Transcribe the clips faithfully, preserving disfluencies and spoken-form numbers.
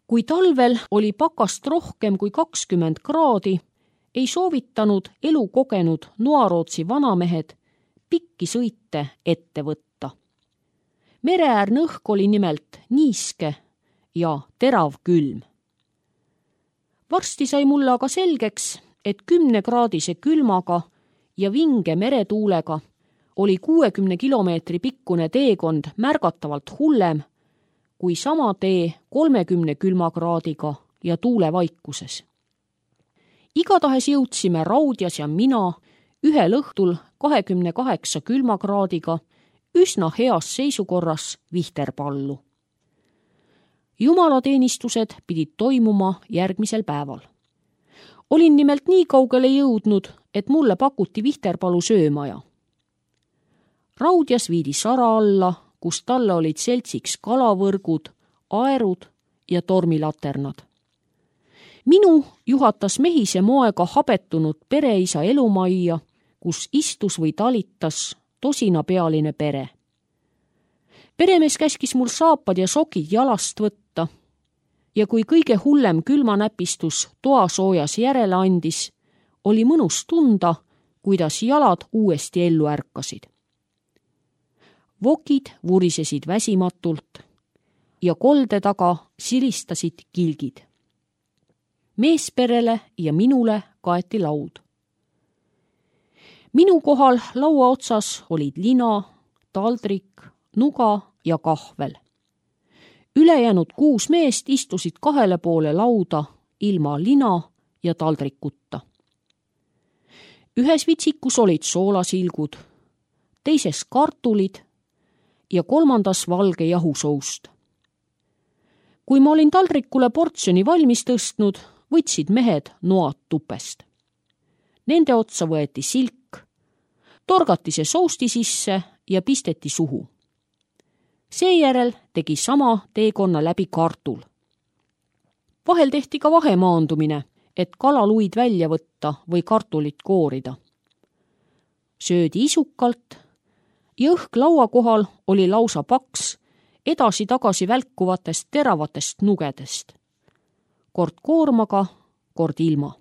Kui talvel oli pakast rohkem kui kakskümmend kraadi, ei soovitanud elu kogenud Noarootsi vanamehed pikki sõite ette võtta. Mereäärne õhk oli nimelt niiske ja terav külm. Varsti sai mulle aga selgeks, et kümnekraadise külmaga ja vinge meretuulega oli kuuekümne kilomeetri pikkune teekond märgatavalt hullem kui sama tee kolmekümne külmakraadiga ja tuulevaikuses. Igatahes jõudsime Raudjas ja mina ühel õhtul kahekümne kaheksa külmakraadiga üsna heas seisukorras Vihterpallu. Jumalateenistused pidid toimuma järgmisel päeval. Olin nimelt nii kaugele jõudnud, et mulle pakuti Vihterpalu söömaja. Raudjas viidi Sara alla, kus talle olid seltsiks kalavõrgud, aerud ja tormilaternad. Minu juhatas mehise moega habetunud pereisa elumajja, kus istus või talitas tosinapealine pere. Peremees käskis mul saapad ja sokid jalast võtta ja kui kõige hullem külmanäpistus toasoojas järele andis, oli mõnus tunda, kuidas jalad uuesti ellu ärkasid. Vokid vurisesid väsimatult ja kolde taga silistasid kilgid. Meesperele ja minule kaeti laud. Minu kohal laua otsas olid lina, taldrik, nuga ja kahvel. Ülejäänud kuus meest istusid kahele poole lauda ilma lina ja taldrikuta. Ühes vitsikus olid soolasilgud, teises kartulid ja kolmandas valge jahusoust. Kui ma olin taldrikule portsjoni valmis tõstnud, võtsid mehed noad tupest. Nende otsa võeti silk, torgati see sousti sisse ja pisteti suhu. Seejärel tegi sama teekonna läbi kartul. Vahel tehti ka vahemaandumine, et kalaluid välja võtta või kartulit koorida. Söödi isukalt ja õhk laua kohal oli lausa paks edasi-tagasi välkuvatest teravatest nugedest. Kord koormaga, kord ilma.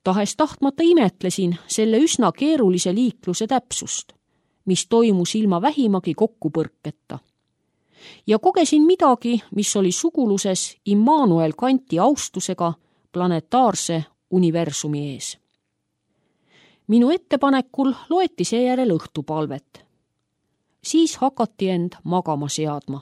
Tahes tahtmata imetlesin selle üsna keerulise liikluse täpsust, mis toimus ilma vähimagi kokkupõrketa. Ja kogesin midagi, mis oli suguluses Immanuel Kanti austusega planetaarse universumi ees. Minu ettepanekul loeti seejärel õhtupalvet. Siis hakati end magama seadma.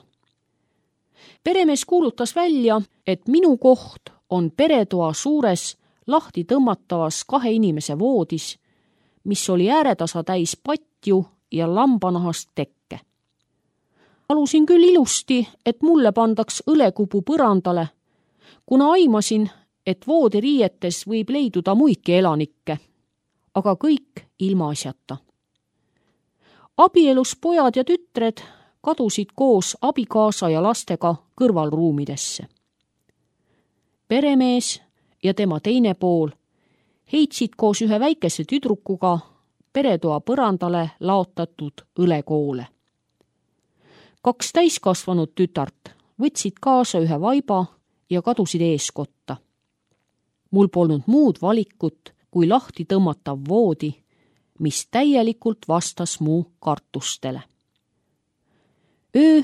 Peremees kuulutas välja, et minu koht on peretoa suures lahti tõmmatavas kahe inimese voodis, mis oli ääretasa täis patju ja lambanahast tekke. Palusin küll ilusti, et mulle pandaks õlekupu põrandale, kuna aimasin, et voodiriietes võib leiduda muidki elanikke, aga kõik ilma asjata. Abielus pojad ja tütred kadusid koos abikaasa ja lastega kõrvalruumidesse. Peremees ja tema teine pool heitsid koos ühe väikese tüdrukuga peretoa põrandale laotatud õlekoole. Kaks täiskasvanud tütart võtsid kaasa ühe vaiba ja kadusid eeskotta. Mul polnud muud valikut kui lahti tõmmatav voodi, mis täielikult vastas mu kartustele. Öö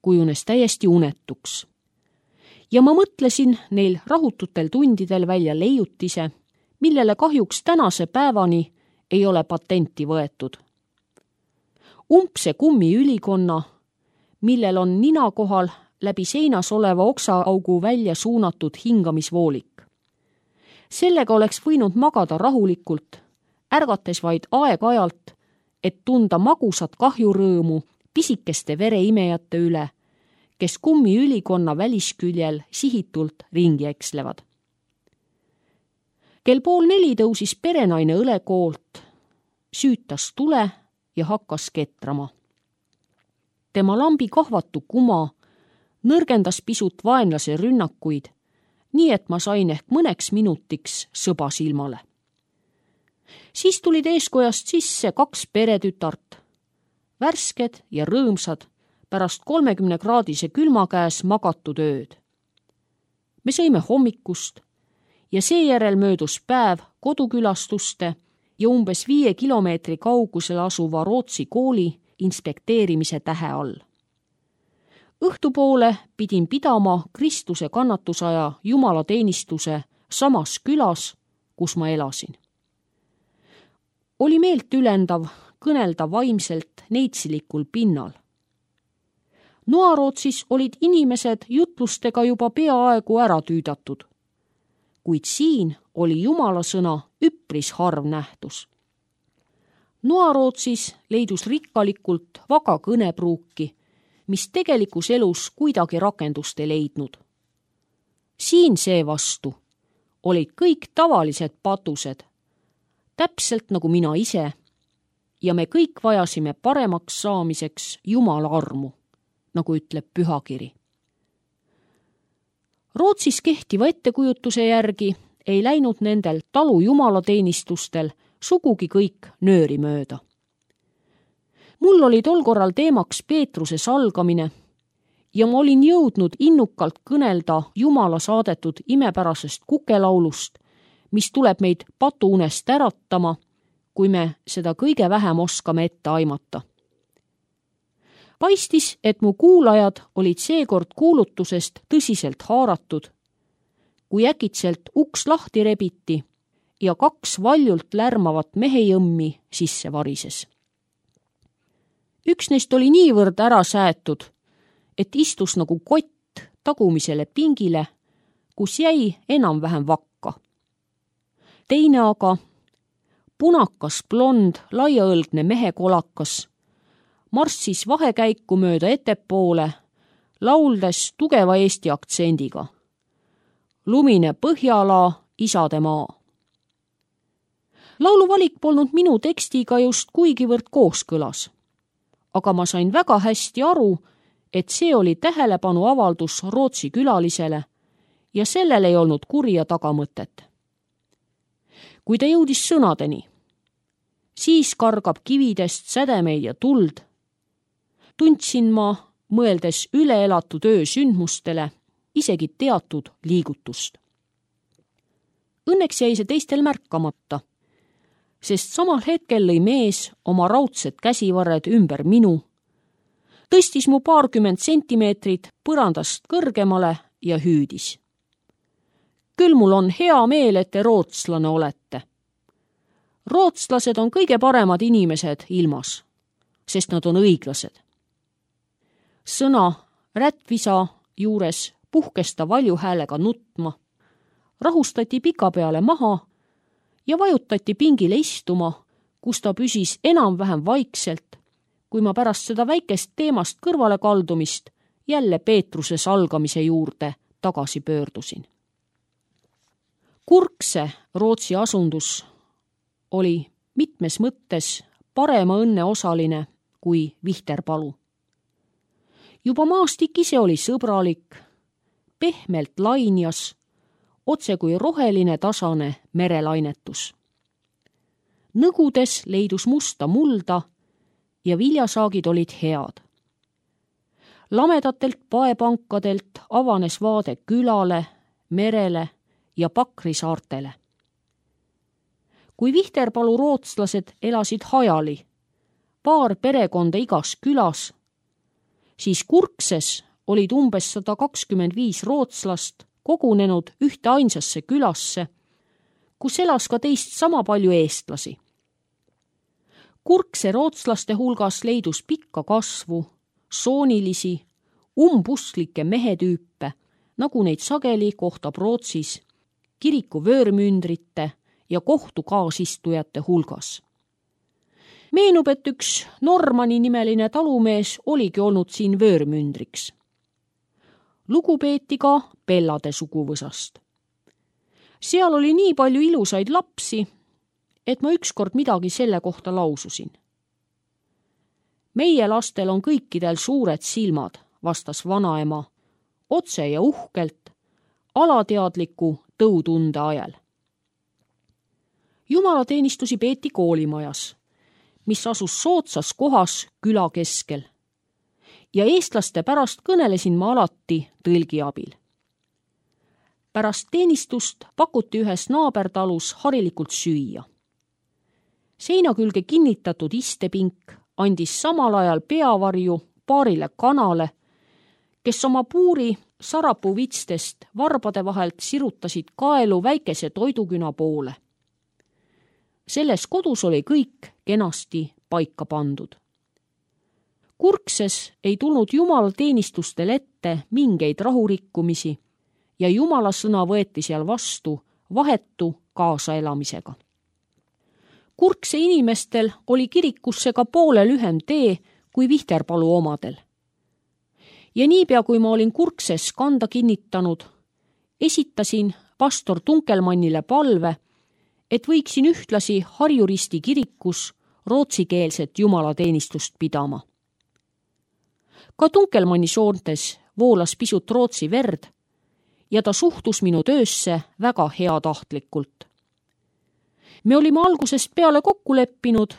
kujunes täiesti unetuks ja ma mõtlesin neil rahututel tundidel välja leiutise, millele kahjuks tänase päevani ei ole patenti võetud. Umbse kummiülikonna, millel on nina kohal läbi seinas oleva oksaaugu välja suunatud hingamisvoolik. Sellega oleks võinud magada rahulikult, ärgates vaid aeg-ajalt, et tunda magusat kahjurõõmu pisikeste vereimejate üle, kes kummiülikonna välisküljel sihitult ringi ekslevad. Kell pool neli tõusis perenaine õlekoolt, süütas tule ja hakkas ketrama. Tema lambi kahvatu kuma nõrgendas pisut vaenlase rünnakuid, nii et ma sain ehk mõneks minutiks sõba silmale. Siis tulid eeskojast sisse kaks peretütart, värsked ja rõõmsad pärast kolmekümne kraadise külma käes magatud ööd. me sõime hommikust ja seejärel möödus päev kodukülastuste ja umbes viie kilomeetri kaugusel asuva Rootsi kooli inspekteerimise tähe all. Õhtupoole pidin pidama Kristuse kannatusaja jumalateenistuse samas külas, kus ma elasin. Oli meelt ülendav kõnelda vaimselt neitsilikul pinnal. Noarootsis olid inimesed jutlustega juba peaaegu ära tüüdatud, kuid siin oli Jumala sõna üpris harv nähtus. Noarootsis leidus rikkalikult vaga kõnepruuki, mis tegelikus elus kuidagi rakendust ei leidnud. Siin seevastu olid kõik tavalised patused, täpselt nagu mina ise, ja me kõik vajasime paremaks saamiseks Jumala armu, nagu ütleb pühakiri. Rootsis kehtiva ettekujutuse järgi ei läinud nendel talu jumalateenistustel sugugi kõik nööri mööda. Mul oli tol korral teemaks Peetruse salgamine ja ma olin jõudnud innukalt kõnelda Jumala saadetud imepärasest kukelaulust, mis tuleb meid patuunest äratama, kui me seda kõige vähem oskame ette aimata. Paistis, et mu kuulajad olid seekord kuulutusest tõsiselt haaratud, kui äkitselt uks lahti rebiti ja kaks valjult lärmavat mehejõmmi sisse varises. Üks neist oli niivõrd ära säätud, et istus nagu kott tagumisele pingile, kus jäi enam-vähem vakka. Teine aga, punakas blond laiaõlgne mehekolakas, marssis vahekäiku mööda ettepoole, lauldes tugeva eesti aktsendiga. Lumine Põhjalaa, isade maa. Laulu valik polnud minu tekstiga just kuigivõrd kooskõlas, aga ma sain väga hästi aru, et see oli tähelepanu avaldus Rootsi külalisele ja sellel ei olnud kurja tagamõtet. Kui ta jõudis sõnadeni, siis kargab kividest sädemeid ja tuld, tundsin ma, mõeldes üle elatud öö sündmustele, isegi teatud liigutust. Õnneks jäi see teistel märkamata, sest samal hetkel lõi mees oma raudsed käsivarred ümber minu, tõstis mu paarkümmend sentimeetrit põrandast kõrgemale ja hüüdis. Küll mul on hea meel, et te rootslane olete. Rootslased on kõige paremad inimesed ilmas, sest nad on õiglased. Sõna rätvisa juures puhkes ta valju häälega nutma, rahustati pika peale maha ja vajutati pingile istuma, kus ta püsis enam-vähem vaikselt, kui ma pärast seda väikest teemast kõrvale kaldumist jälle Peetruse salgamise juurde tagasi pöördusin. Kurkse Rootsi asundus oli mitmes mõttes parema õnne osaline kui Vihterpalu. Juba maastik ise oli sõbralik, pehmelt lainjas, otse kui roheline tasane merelainetus. Nõgudes leidus musta mulda ja viljasaagid olid head. Lamedatelt paepankadelt avanes vaade külale, merele ja Pakri saartele. Kui Vihterpalu rootslased elasid hajali, paar perekonda igas külas, siis Kurkses olid umbes sada kakskümmend viis rootslast kogunenud ühte ainsasse külasse, kus elas ka teist sama palju eestlasi. Kurkse rootslaste hulgas leidus pikka kasvu, soonilisi, umbusklikke mehetüüpe, nagu neid sageli kohtab Rootsis, kiriku vöörmündrite ja kohtu kaasistujate hulgas. Meenub, et üks Normani nimeline talumees oligi olnud siin vöörmündriks. Lugu peeti ka Pellade suguvõsast. Seal oli nii palju ilusaid lapsi, et ma ükskord midagi selle kohta laususin. Meie lastel on kõikidel suured silmad, vastas vanaema, otse ja uhkelt, alateadliku tõutunde ajal. Jumalateenistusi peeti koolimajas, mis asus soodsas kohas küla keskel. Ja eestlaste pärast kõnelesin ma alati tõlgi abil. Pärast teenistust pakuti ühes naabertalus harilikult süüa. Seina külge kinnitatud istepink andis samal ajal peavarju paarile kanale, kes oma puuri sarapuvitstest varbade vahelt sirutasid kaelu väikese toiduküna poole. Selles kodus oli kõik kenasti paika pandud. Kurkses ei tulnud Jumala teenistustel ette mingeid rahurikkumisi ja Jumala sõna võeti seal vastu vahetu kaasaelamisega. Kurkse inimestel oli kirikusse ka poole lühem tee kui Vihterpalu omadel. Ja niipea, kui ma olin Kurkses kanda kinnitanud, esitasin pastor Tunkelmannile palve, et võiksin ühtlasi Harju Risti kirikus rootsikeelset jumalateenistust pidama. Ka Tunkelmanni soontes voolas pisut rootsi verd ja ta suhtus minu töösse väga heatahtlikult. Me olime algusest peale kokku leppinud,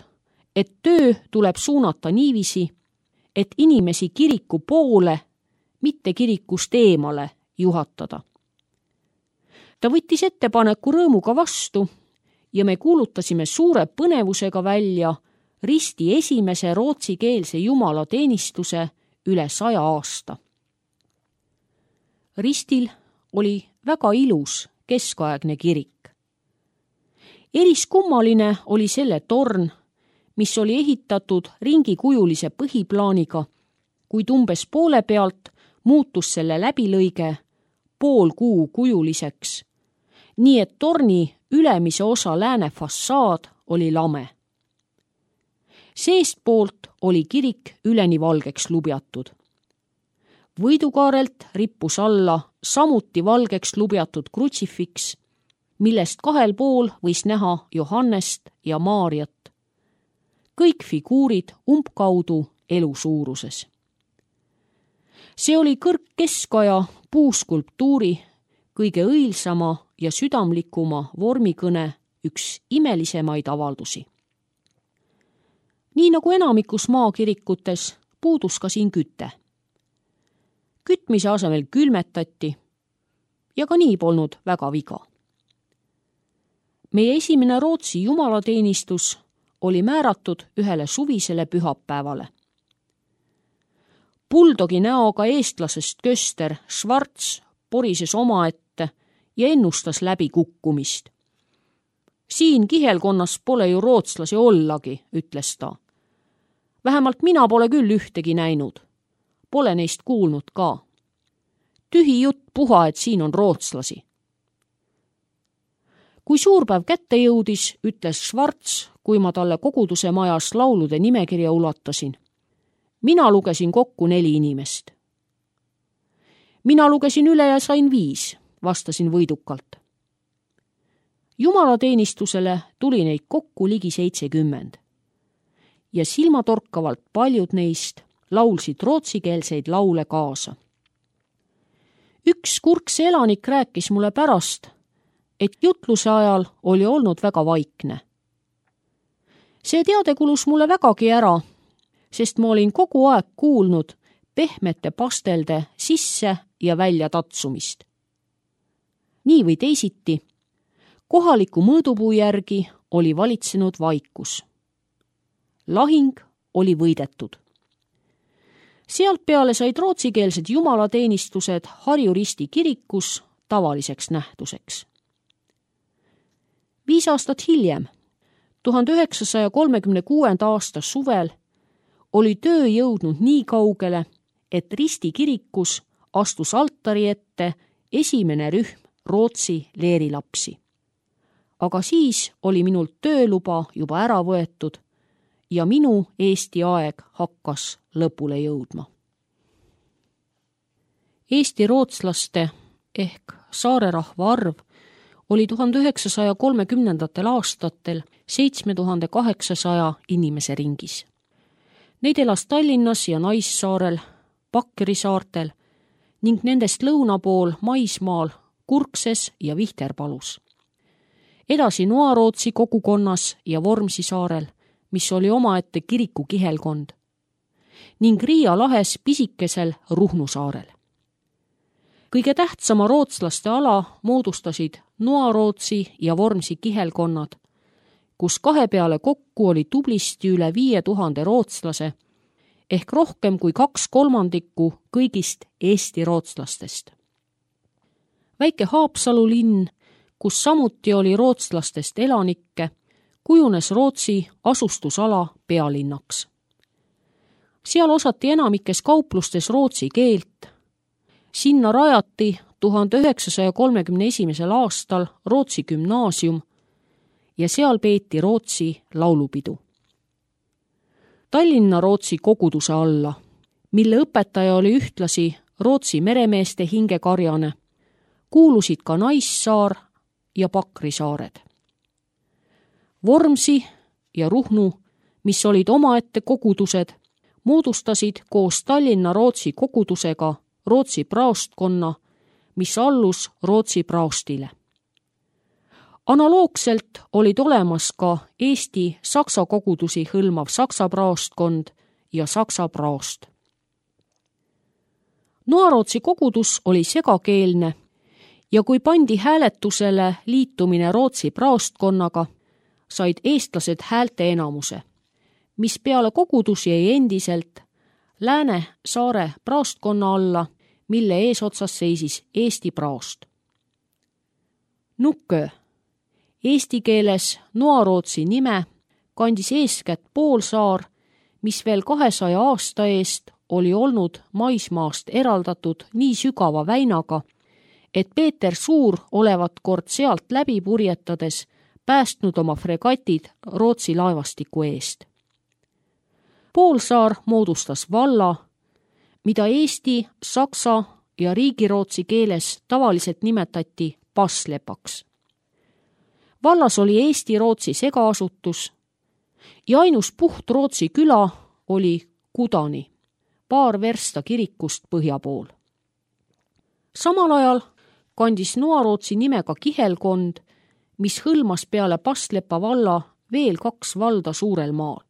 et töö tuleb suunata niiviisi, et inimesi kiriku poole, mitte kirikust eemale juhatada. Ta võttis ettepaneku rõõmuga vastu ja me kuulutasime suure põnevusega välja Risti esimese rootsikeelse jumalateenistuse üle saja aasta. Ristil oli väga ilus keskaegne kirik. Eriskummaline oli selle torn, mis oli ehitatud ringikujulise põhiplaaniga, kuid umbes poole pealt muutus selle läbilõige pool kuu kujuliseks, nii et torni ülemise osa lääne fassaad oli lame. Seestpoolt oli kirik üleni valgeks lubjatud. Võidukaarelt rippus alla samuti valgeks lubjatud krutsifiks, millest kahel pool võis näha Johannest ja Maarjat. Kõik figuurid umbkaudu elu suuruses. See oli kõrgkeskaja puuskulptuuri kõige õilsama ja südamlikuma vormikõne üks imelisemaid avaldusi. Nii nagu enamikus maakirikutes puudus ka siin küte. Kütmise asemel külmetati ja ka nii polnud väga viga. Meie esimene Rootsi jumalateenistus oli määratud ühele suvisele pühapäevale. Buldogi näoga eestlasest köster Schwarz porises omaette ja ennustas läbi kukkumist. Siin kihelkonnas pole ju rootslasi ollagi, ütles ta. Vähemalt mina pole küll ühtegi näinud. Pole neist kuulnud ka. Tühi jutt puha, et siin on rootslasi. Kui suurpäev kätte jõudis, ütles Schwarz, kui ma talle koguduse majas laulude nimekirja ulatasin. Mina lugesin kokku neli inimest. Mina lugesin üle ja sain viis, vastasin võidukalt. Jumalateenistusele tuli neid kokku ligi seitsekümmend. Ja silmatorkavalt paljud neist laulsid rootsikeelseid laule kaasa. Üks Kurkse elanik rääkis mulle pärast, et jutluse ajal oli olnud väga vaikne. See teade kulus mulle vägagi ära, sest ma olin kogu aeg kuulnud pehmete pastelde sisse ja välja tatsumist. Nii või teisiti, kohaliku mõõdupuu järgi oli valitsenud vaikus. Lahing oli võidetud. Sealt peale said rootsikeelsed jumalateenistused Harju Risti kirikus tavaliseks nähtuseks. Viis aastat hiljem, tuhande üheksasaja kolmekümne kuuenda aasta suvel, oli töö jõudnud nii kaugele, et Risti kirikus astus altari ette esimene rühm Rootsi leerilapsi. Aga siis oli minult tööluba juba ära võetud ja minu Eesti aeg hakkas lõpule jõudma. Eesti rootslaste ehk saarerahva arv oli tuhande üheksasaja kolmekümnendatel aastatel seitsme tuhande kaheksasaja inimese ringis. Neid elas Tallinnas ja Naissaarel, Pakkeri saartel ning nendest lõuna pool maismaal Kurkses ja Vihterpalus. Edasi Noarootsi kogukonnas ja Vormsi saarel, mis oli omaette kiriku kihelkond, ning Riia lahes pisikesel Ruhnu saarel. Kõige tähtsama rootslaste ala moodustasid Noarootsi ja Vormsi kihelkonnad, kus kahe peale kokku oli tublisti üle viie tuhande rootslase ehk rohkem kui kaks kolmandikku kõigist Eesti rootslastest. Väike Haapsalu linn, kus samuti oli rootslastest elanikke, kujunes Rootsi asustusala pealinnaks. Seal osati enamikes kauplustes rootsi keelt. Sinna rajati tuhande üheksasaja kolmekümne esimesel aastal Rootsi gümnaasium ja seal peeti Rootsi laulupidu. Tallinna Rootsi koguduse alla, mille õpetaja oli ühtlasi Rootsi meremeeste hingekarjane, kuulusid ka Naissaar ja Pakri saared. Vormsi ja Ruhnu, mis olid omaette kogudused, moodustasid koos Tallinna Rootsi kogudusega Rootsi praostkonna, mis allus Rootsi praostile. Analoogselt olid olemas ka Eesti saksa kogudusi hõlmav saksa praostkond ja saksa praost. Noarootsi kogudus oli segakeelne ja kui pandi hääletusele liitumine Rootsi praostkonnaga, said eestlased häälte enamuse, mis peale kogudus jäi endiselt Lääne-Saare praostkonna alla, mille eesotsas seisis Eesti praost. Nukkö, eesti keeles Noarootsi nime, kandis eeskätt Poolsaar, mis veel kahesaja aasta eest oli olnud maismaast eraldatud nii sügava väinaga, et Peeter Suur olevat kord sealt läbi purjetades päästnud oma fregatid Rootsi laevastiku eest. Poolsaar moodustas valla, mida eesti, saksa ja riigirootsi keeles tavaliselt nimetati Passlepaks. Vallas oli Eesti-Rootsi segaasutus ja ainus puht Rootsi küla oli Kudani, paar versta kirikust põhja pool. Samal ajal kandis Noarootsi nimega kihelkond, mis hõlmas peale Passlepa valla veel kaks valda suurel maal.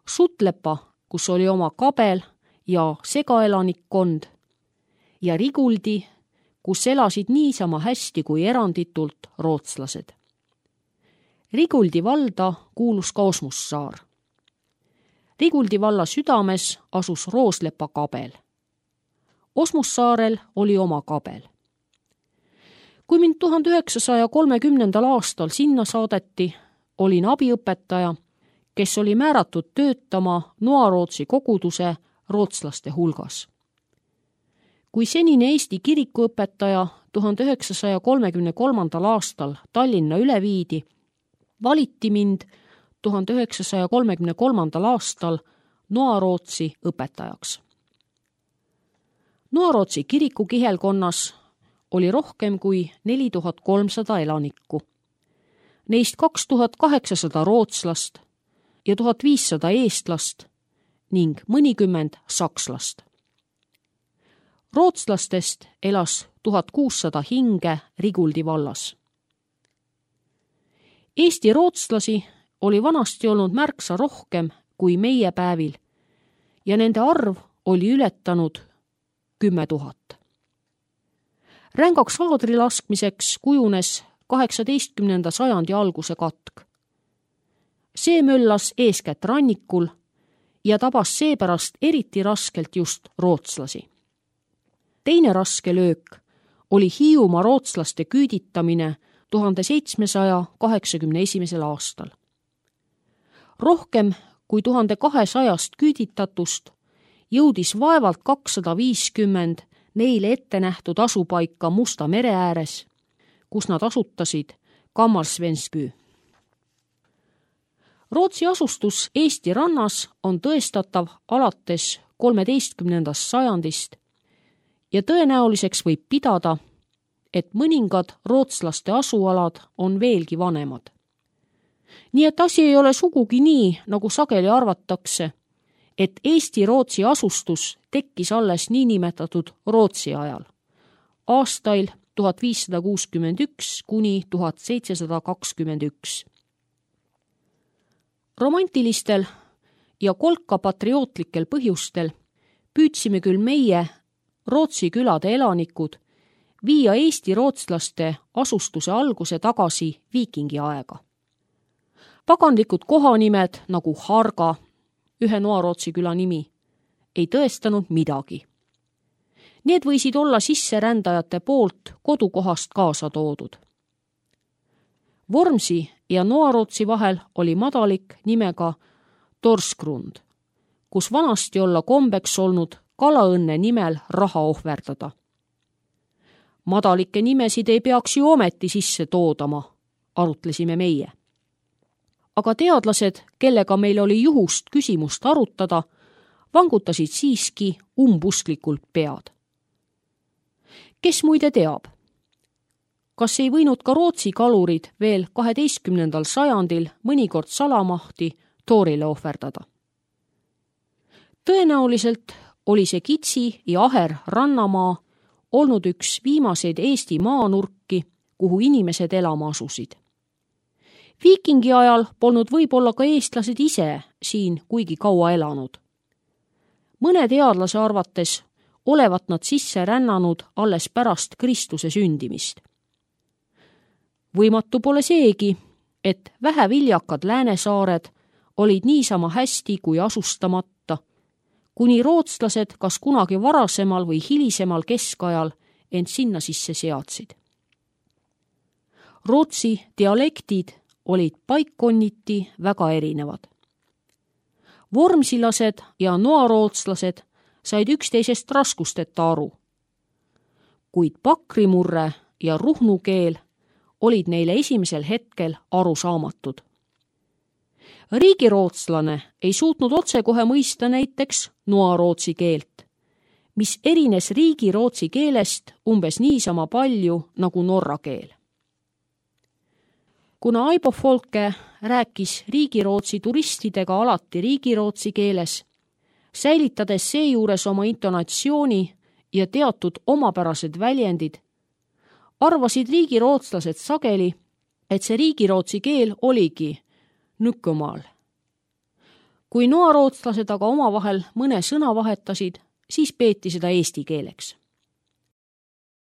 Sutlepa, kus oli oma kabel ja segaelanikkond, ja Riguldi, kus elasid niisama hästi kui eranditult rootslased. Riguldi valda kuulus ka Osmussaar. Riguldi valla südames asus Rooslepa kabel. Osmussaarel oli oma kabel. Kui mind tuhande üheksasaja kolmekümnendal aastal sinna saadeti, olin abiõpetaja, kes oli määratud töötama Noarootsi koguduse rootslaste hulgas. Kui senine Eesti kirikuõpetaja tuhande üheksasaja kolmekümne kolmandal aastal Tallinna üle viidi, valiti mind tuhande üheksasaja kolmekümne kolmandal aastal Noarootsi õpetajaks. Noarootsi kiriku kihelkonnas oli rohkem kui neli tuhat kolmsada elanikku. Neist kaks tuhat kaheksasada rootslast ja tuhat viissada eestlast ning mõnikümmend sakslast. Rootslastest elas tuhat kuussada hinge Riguldi vallas. Eesti rootslasi oli vanasti olnud märksa rohkem kui meie päevil ja nende arv oli ületanud kümme tuhat. Rängaks aadri laskmiseks kujunes kaheksateistkümnenda sajandi alguse katk. See möllas eeskätt rannikul ja tabas seepärast eriti raskelt just rootslasi. Teine raske löök oli Hiiumaa rootslaste küüditamine tuhande seitsmesaja kaheksakümne esimesel aastal. Rohkem kui tuhande kahesajast küüditatust jõudis vaevalt kakssada viiskümmend neile ette nähtud asupaika Musta mere ääres, kus nad asutasid Kammarsvenspy. Rootsi asustus Eesti rannas on tõestatav alates kolmeteistkümnendast sajandist ja tõenäoliseks võib pidada, et mõningad rootslaste asualad on veelgi vanemad. Nii et asi ei ole sugugi nii, nagu sageli arvatakse, et Eesti-Rootsi asustus tekkis alles niinimetatud Rootsi ajal, aastail tuhat viissada kuuskümmend üks kuni tuhat seitsesada kakskümmend üks. Romantilistel ja kolka patriootlikel põhjustel püüdsime küll meie Rootsi külade elanikud viia eesti rootslaste asustuse alguse tagasi viikingi aega. Pagandlikud kohanimed nagu Harga, ühe Noarootsi küla nimi, ei tõestanud midagi. Need võisid olla sisserändajate poolt kodukohast kaasa toodud. Vormsi ja Noarootsi vahel oli madalik nimega Torsgrund, kus vanasti olla kombeks olnud kalaõnne nimel raha ohverdada. Madalike nimesid ei peaks ju ometi sisse toodama, arutlesime meie. Aga teadlased, kellega meil oli juhust küsimust arutada, vangutasid siiski umbusklikult pead. Kes muide teab? Kas ei võinud ka Rootsi kalurid veel kaheteistkümnendal sajandil mõnikord salamahti toorile ohverdada? Tõenäoliselt oli see kitsi ja aher rannamaa olnud üks viimaseid Eesti maanurki, kuhu inimesed elama asusid. Viikingi ajal polnud võib-olla ka eestlased ise siin kuigi kaua elanud. Mõne teadlase arvates olevat nad sisse rännanud alles pärast Kristuse sündimist. Võimatu pole seegi, et väheviljakad Läänesaared olid niisama hästi kui asustamata, kuni rootslased kas kunagi varasemal või hilisemal keskajal end sinna sisse seadsid. Rootsi dialektid olid paikkonniti väga erinevad. Vormsilased ja noarootslased said üksteisest raskusteta aru, kuid pakrimurre ja ruhnu keel olid neile esimesel hetkel arusaamatud. Riigirootslane ei suutnud otsekohe mõista näiteks noarootsi keelt, mis erines riigirootsi keelest umbes niisama palju nagu norra keel. Kuna Aibo Folke rääkis riigirootsi turistidega alati riigirootsi keeles, säilitades seejuures oma intonatsiooni ja teatud omapärased väljendid, arvasid riigirootslased sageli, et see riigirootsi keel oligi Nükkumaal. Kui noarootslased aga omavahel mõne sõna vahetasid, siis peeti seda eesti keeleks.